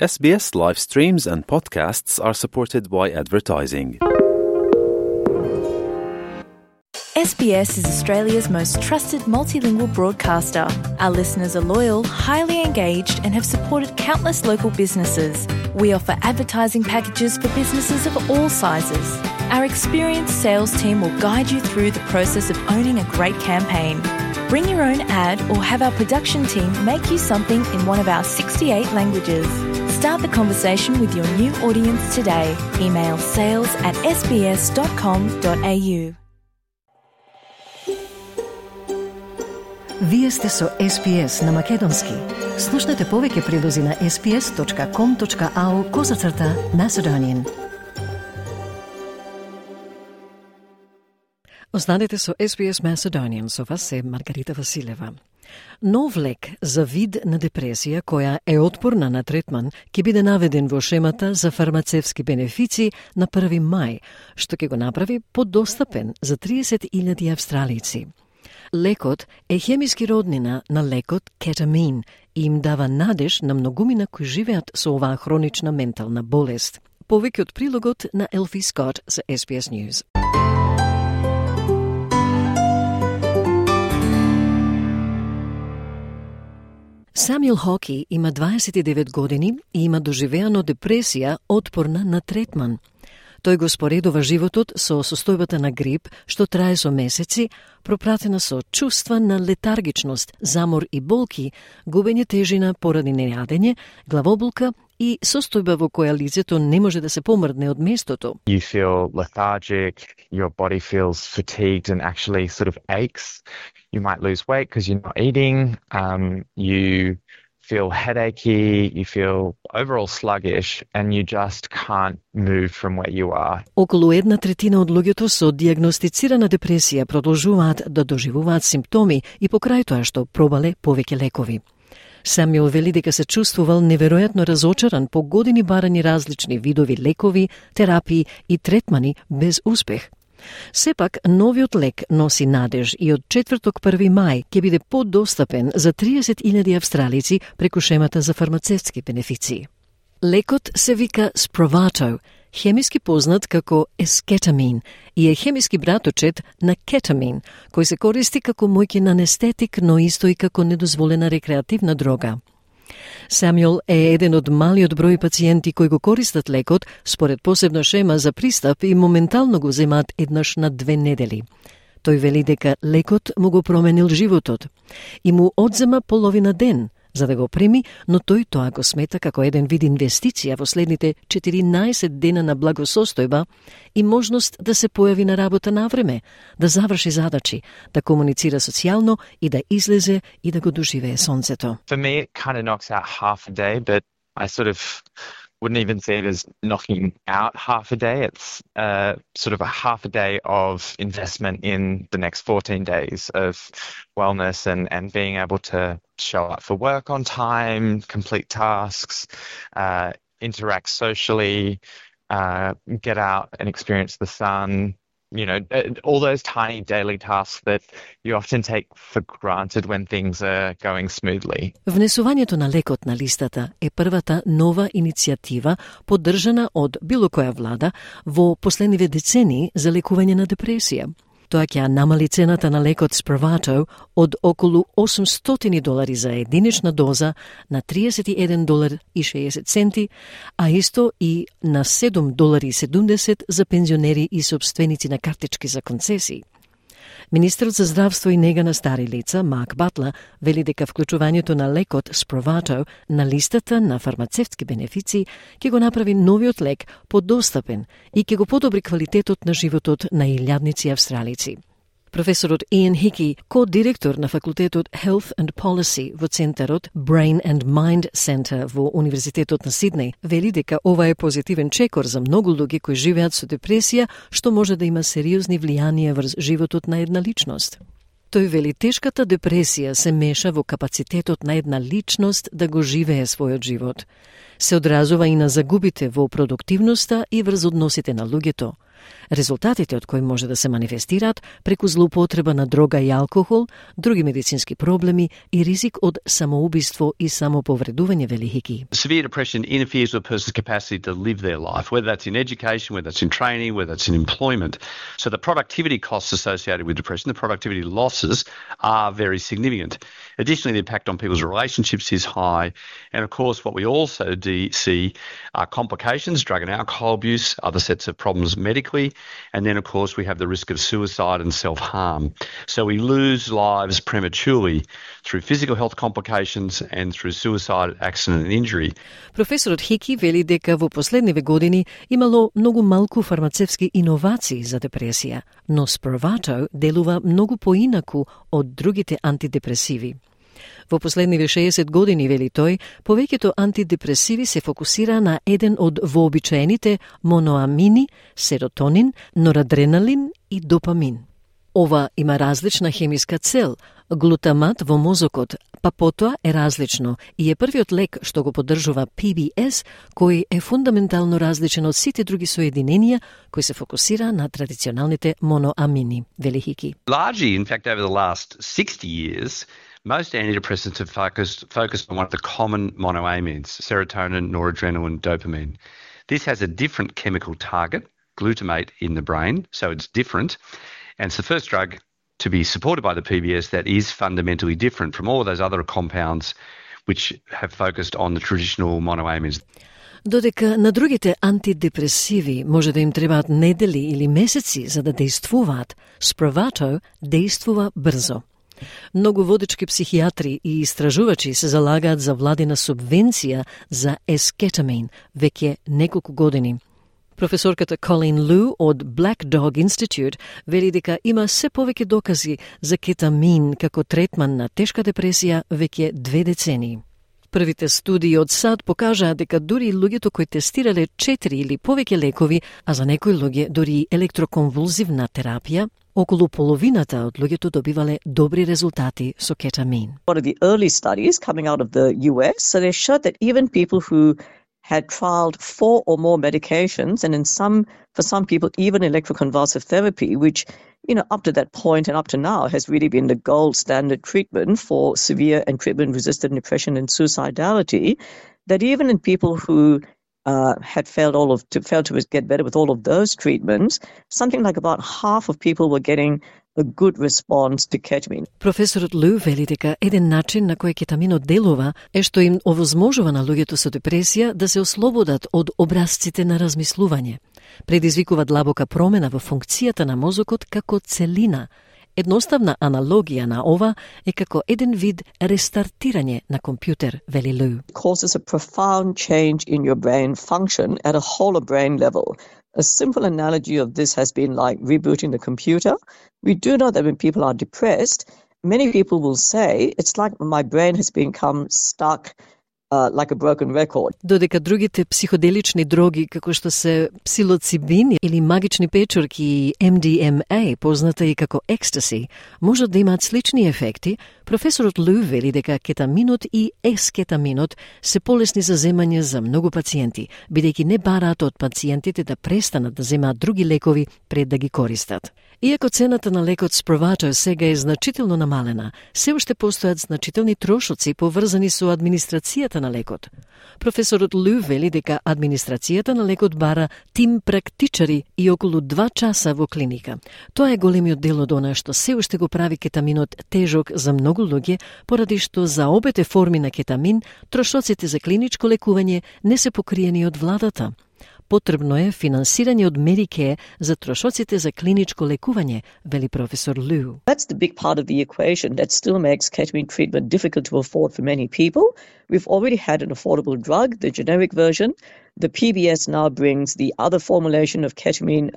SBS live streams and podcasts are supported by advertising. SBS is Australia's most trusted multilingual broadcaster. Our listeners are loyal, highly engaged, and have supported countless local businesses. We offer advertising packages for businesses of all sizes. Our experienced sales team will guide you through the process of owning a great campaign. Bring your own ad or have our production team make you something in one of our 68 languages. Start the conversation with your new audience today. Email sales@sbs.com.au. Вие сте со SBS на Македонски. Слушнете повеќе прилози на sbs.com.au/Macedonian. Останете со SBS Macedonian, со вас е Маргарита Василева. Нов лек за вид на депресија која е отпорна на третман ќе биде наведен во шемата за фармацевски бенефици на 1 мај, што ќе го направи подостапен за 30.000 австралици. Лекот е хемиски роднина на лекот кетамин и им дава надеж на многумина кои живеат со оваа хронична ментална болест. Повеќе од прилогот на Елфи Скот за SBS News. Самјел Хоки има 29 години и има доживеано депресија отпорна на третман. Тој го споредува животот со состојбата на грип, што трае со месеци, пропратена со чувства на летаргичност, замор и болки, губење тежина поради нејадење, главоболка и состојба во која лицето не може да се помрдне од местото. You feel lethargic, your body feels fatigued and actually sort of aches. You might lose weight because you're not eating. You feel headachy, you feel overall sluggish, and you just can't move from where you are. Околу 1/3 од луѓето со дијагностицирана депресија продолжуваат да доживуваат симптоми и покрај тоа што пробале повеќе лекови. Самјел вели дека се чувствувал неверојатно разочаран по години барање различни видови лекови, терапии и третмани без успех. Сепак, новиот лек носи надеж и од четврток 1 мај ќе биде подостапен за 30.000 австралици преку шемата за фармацевски бенефици. Лекот се вика Spravato, хемиски познат како ескетамин и е хемиски браточет на кетамин, кој се користи како моќен анестетик, но исто и како недозволена рекреативна дрога. Самјел е еден од малиот број пациенти кои го користат лекот според посебна шема за пристап и моментално го земаат еднаш на 2 недели. Тој вели дека лекот му го променил животот и му одзема половина ден за да го прими, но тој тоа го смета како еден вид инвестиција во следните 14 дена на благосостојба и можност да се појави на работа на време, да заврши задачи, да комуницира социјално и да излезе и да го доживее сонцето. For me, it kind of knocks out half a day, but I sort of wouldn't even see it as knocking out half a day. It's sort of a half a day of investment in the next 14 days of wellness and being able to show up for work on time, complete tasks, interact socially, get out and experience the sun, you know, all those tiny daily tasks that you often take for granted when things are going smoothly. Внесувањето на лекот на листата е првата нова иницијатива поддржана од било која влада во последниве децении за лекување на депресија. Тоа ќе намали цената на лекот Spravato од околу $800 за единична доза на $31.60, а исто и на $7.70 за пензионери и собственици на картички за концесии. Министерот за здравство и нега на стари лица, Марк Батлер, вели дека вклучувањето на лекот Spravato на листата на фармацевтски бенефици ќе го направи новиот лек подостапен и ќе го подобри квалитетот на животот на илјадници австралици. Професорот Иан Хики, ко-директор на факултетот Health and Policy во центарот Brain and Mind Center во Универзитетот на Сиднеј, вели дека ова е позитивен чекор за многу луѓе кои живеат со депресија, што може да има сериозни влијанија врз животот на една личност. Тој вели тешката депресија се меша во капацитетот на една личност да го живее својот живот. Се одразува и на загубите во продуктивноста и врз односите на луѓето. резултатите од кои може да се манифестираат преку злоупотреба на дрога и алкохол, други медицински проблеми и ризик од самоубиство и самоповредување, вели Хики. Severe depression interferes with a person's capacity to live their life, whether that's in education, whether that's in training, whether that's in employment. So the productivity costs associated with depression, the productivity losses are very significant. Additionally, the impact on people's relationships is high. And of course, what we also see are complications, drug and alcohol abuse, other sets of problems medically. And then, of course, we have the risk of suicide and self-harm. So we lose lives prematurely through physical health complications and through suicide, accident and injury. Професорот Хики вели дека во последниве години имало многу малку фармацевски иновации за депресија, но Spravato делува многу поинаку од другите антидепресиви. Во последниве 60 години, вели тој, повеќето антидепресиви се фокусира на еден од вообичаените моноамини, серотонин, норадреналин и допамин. Ова има различна хемиска цел. Глутамат во мозокот, па потоа е различно и е првиот лек што го поддржува PBS, кој е фундаментално различен од сите други соединенија кои се фокусира на традиционалните моноамини, вели Хики. Largely, in fact, over the last 60 years, most antidepressants have focused on one of the common monoamines, serotonin, noradrenaline, dopamine. This has a different chemical target, glutamate, in the brain, so it's different. And it's the first drug to be supported by the PBS that is fundamentally different from all of those other compounds which have focused on the traditional monoamines. Додека на другите антидепресиви може да им требаат недели или месеци за да действуваат, Spravato действува брзо. Многу водечки психијатри и истражувачи се залагаат за владина субвенција за ескетамин веќе неколку години. Професорката Colleen Liu од Black Dog Institute вели дека има се повеќе докази за кетамин како третман на тешка депресија веќе 2 децении. Првите студии од САД покажаа дека дури луѓето кои тестирале 4 или повеќе лекови, а за некои луѓе дури електроконвулзивна терапија, околу половината од луѓето добивале добри резултати со кетамин. One of the early studies coming out of the US, so they showed that even people who had trialed 4 or more medications, and for some people, even electroconvulsive therapy, which, up to that point and up to now has really been the gold standard treatment for severe and treatment-resistant depression and suicidality, that even in people who had failed to get better with all of those treatments, something like about half of people were getting a good response to ketamine. Професорот Лу вели дека еден начин на кој кетаминот делува е што им овозможува на луѓето со депресија да се ослободат од образците на размислување. Предизвикува длабока промена во функцијата на мозокот како целина. Едноставна аналогија на ова е како еден вид рестартирање на компјутер, вели Лу. It causes a profound change in your brain function at a whole of brain level. A simple analogy of this has been like rebooting the computer. We do know that when people are depressed, many people will say, it's like my brain has become stuck like a broken record. Додека другите психоделични дроги, како што се псилоцибин или магични печорки и MDMA, позната и како екстаси, можат да имаат слични ефекти, професорот Лу вели дека кетаминот и ескетаминот се полесни за земање за многу пациенти, бидејќи не бараат од пациентите да престанат да земаат други лекови пред да ги користат. Иако цената на лекот Spravato сега е значително намалена, се уште постојат значителни трошоци поврзани со администрацијата на лекот. Професорот Лу вели дека администрацијата на лекот бара тим практичари и околу 2 часа во клиника. Тоа е големиот дел од она што се уште го прави кетаминот тежок за многу луѓе, поради што за обете форми на кетамин трошоците за клиничко лекување не се покриени од владата. Потребно е финансирање од Medicare за трошоците за клиничко лекување, вели професор Лу. That's the big part of the equation that still makes ketamine treatment difficult to afford for many people. We've already had an affordable drug, the generic version. The PBS now brings the other formulation of ketamine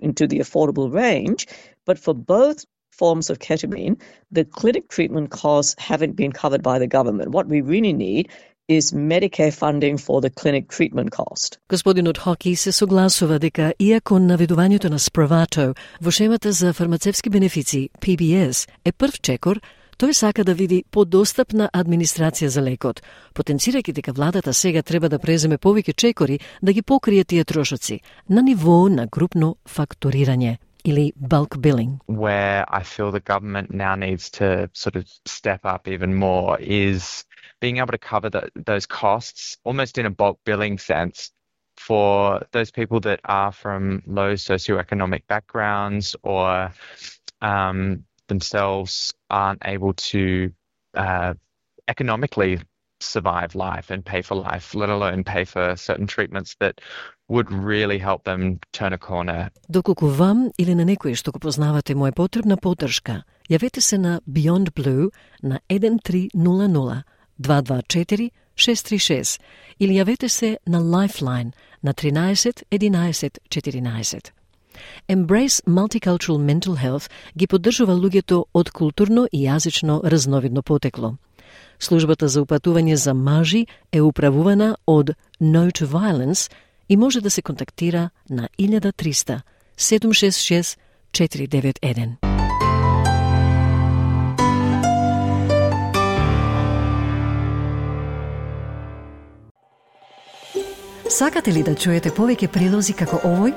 into the affordable range. But for both forms of ketamine, the clinic treatment costs haven't been covered by the government. What we really need is Medicare funding for the clinic treatment cost. Господинот Хоки се согласува дека иако наведувањето на Spravato во шемата за фармацевски бенефици PBS е прв чекор, Тој сака да види подостапна администрација за лекот, потенцирајќи дека владата сега треба да преземе повеќе чекори да ги покрие тие трошоци на ниво на групно фактурирање или bulk billing. Where I feel the government now needs to sort of step up even more is being able to cover those costs almost in a bulk billing sense for those people that are from low socioeconomic backgrounds or themselves aren't able to economically survive life and pay for life, let alone pay for certain treatments that would really help them turn a corner. Доколку вам или на некој што го познавате му е потребна поддршка, јавете се на Beyond Blue на 1300 224 636 или јавете се на Lifeline на 13 11 14. Embrace Multicultural Mental Health ги поддржува луѓето од културно и јазично разновидно потекло. Службата за упатување за мажи е управувана од No to Violence и може да се контактира на 1300 766 491. Сакате ли да чуете повеќе прилози како овој?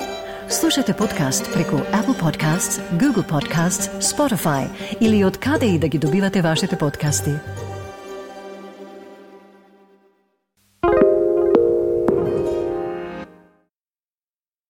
Слушате подкаст преку Apple Podcasts, Google Podcasts, Spotify или од каде и да ги добивате вашите подкасти.